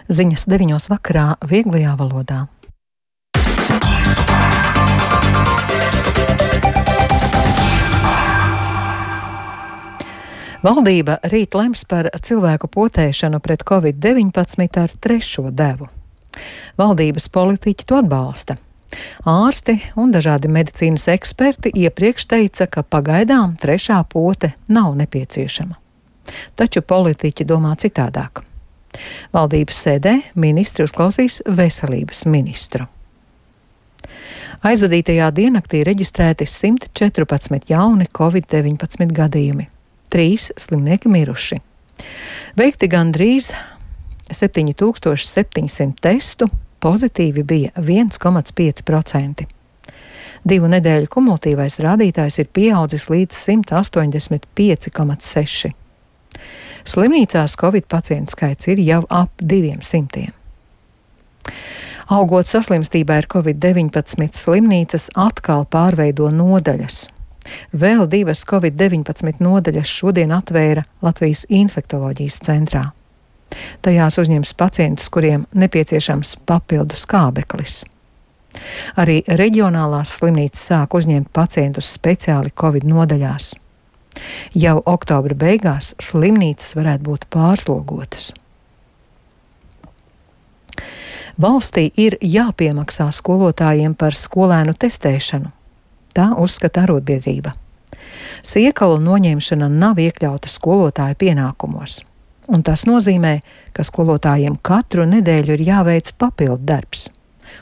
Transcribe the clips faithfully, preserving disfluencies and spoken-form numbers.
Ziņas deviņos vakarā vieglajā valodā. Valdība rīt lems par cilvēku potēšanu pret covid deviņpadsmit ar trešo devu. Valdības politiķi to atbalsta. Ārsti un dažādi medicīnas eksperti iepriekš teica, ka pagaidām trešā pote nav nepieciešama. Taču politiķi domā citādāk. Valdības sēdē ministri uzklausīs veselības ministru. Aizvadītajā diennaktī reģistrēti simt četrpadsmit jauni covid deviņpadsmit gadījumi. Trīs slimnieki miruši. Veikti gandrīz septiņi tūkstoši septiņsimt testu, pozitīvi bija viens komats pieci procenti. Divu nedēļu kumulatīvais rādītājs ir pieaudzis līdz simt astoņdesmit pieci komats seši. Slimnīcās covid pacientu skaits ir jau ap diviem simtiem. Augot saslimstībai ar covid deviņpadsmit, slimnīcas atkal pārveido nodaļas. Vēl divas covid deviņpadsmit nodaļas šodien atvēra Latvijas infektoloģijas centrā. Tajās uzņems pacientus, kuriem nepieciešams papildu skābeklis. Arī reģionālās slimnīcas sāk uzņemt pacientus speciāli covid nodaļās. Jau oktobra beigās slimnīcas varētu būt pārslogotas. Valstī ir jāpiemaksā skolotājiem par skolēnu testēšanu. Tā uzskata arotbiedrība. Siekalu noņemšana nav iekļauta skolotāju pienākumos, un tas nozīmē, ka skolotājiem katru nedēļu ir jāveic papildu darbs,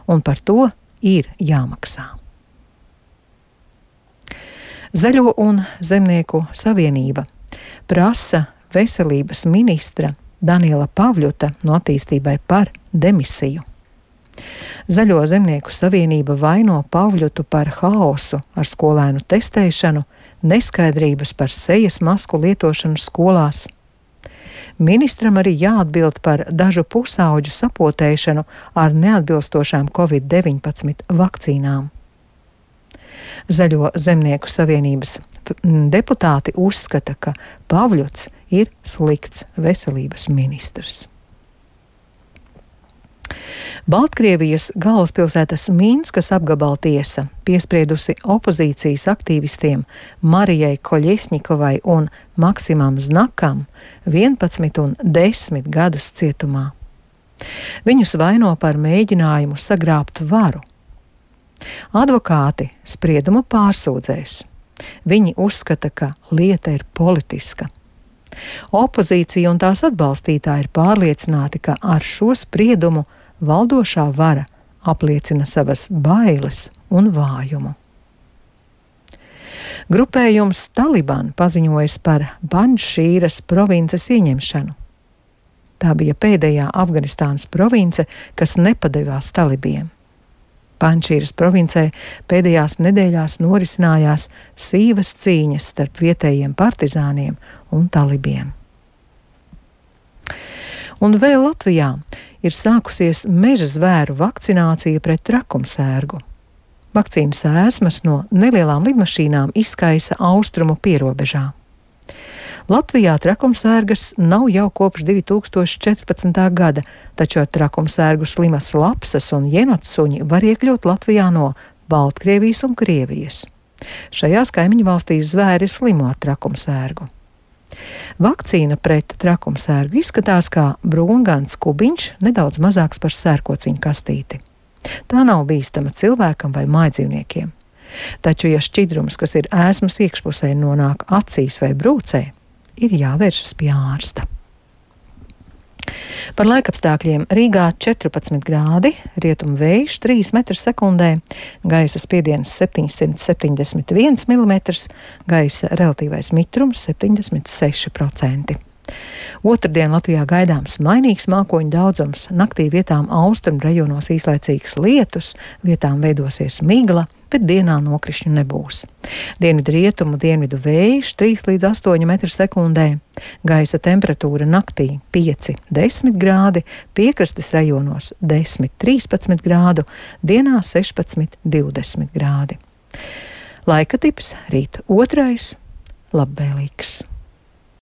un par to ir jāmaksā. Zaļo un zemnieku savienība prasa veselības ministra Daniela Pavļuta no attīstībai par demisiju. Zaļo zemnieku savienība vaino Pavļutu par haosu ar skolēnu testēšanu, neskaidrības par sejas masku lietošanu skolās. Ministram arī jāatbild par dažu pusauģu sapotēšanu ar neatbilstošām covid deviņpadsmit vakcīnām. Zaļo zemnieku savienības deputāti uzskata, ka Pavļuts ir slikts veselības ministrs. Baltkrievijas galvaspilsētas Minskas apgabala tiesa piespriedusi opozīcijas aktīvistiem Marijai Koļesņikovai un Maksimam Znakam vienpadsmit un desmit gadus cietumā. Viņus vaino par mēģinājumu sagrābt varu. Advokāti spriedumu pārsūdzēs. Viņi uzskata, ka lieta ir politiska. Opozīcija un tās atbalstītāji ir pārliecināti, ka ar šo spriedumu valdošā vara apliecina savas bailes un vājumu. Grupējums Taliban paziņojas par Pandžšīras provinces ieņemšanu. Tā bija pēdējā Afganistānas province, kas nepadevās talibiem. Pandžšīras provincē pēdējās nedēļās norisinājās sīvas cīņas starp vietējiem partizāniem un talibiem. Un vēl Latvijā ir sākusies meža zvēru vakcinācija pret trakumsērgu. Vakcīnas ēsmas no nelielām lidmašīnām izkaisa austrumu pierobežā. Latvijā trakumsērgas nav jau kopš divi tūkstoši četrpadsmitā gada, taču ar trakumsērgu slimas lapsas un jenotsuņi var iekļūt Latvijā no Baltkrievijas un Krievijas. Šajās kaimiņu valstīs zvēri slimo ar trakumsērgu. Vakcīna pret trakumsērgu izskatās kā brūngans kubiņš, nedaudz mazāks par sērkociņu kastīti. Tā nav bīstama cilvēkam vai mājdzīvniekiem. Taču, ja šķidrums, kas ir ēsmas iekšpusē, nonāk acīs vai brūcē, ir jāvēršas pie ārsta. Par laikapstākļiem Rīgā četrpadsmit grādi, rietumu vējš trīs metri sekundē, gaisa spiediens septiņsimt septiņdesmit viens milimetrs, gaisa relatīvais mitrums septiņdesmit seši procenti. Otrdien Latvijā gaidāms mainīgs mākoņu daudzums, naktī vietām austrumu rajonos īslaicīgs lietus, vietām veidosies migla, bet dienā nokrišņu nebūs. Dienvidu rietumu, dienvidu vējš trīs līdz astoņi metri sekundē, gaisa temperatūra naktī pieci līdz desmit grādi, piekrastes rajonos desmit līdz trīspadsmit grādu, dienā sešpadsmit līdz divdesmit grādi. Laika tips rīt otrais, labvēlīgs.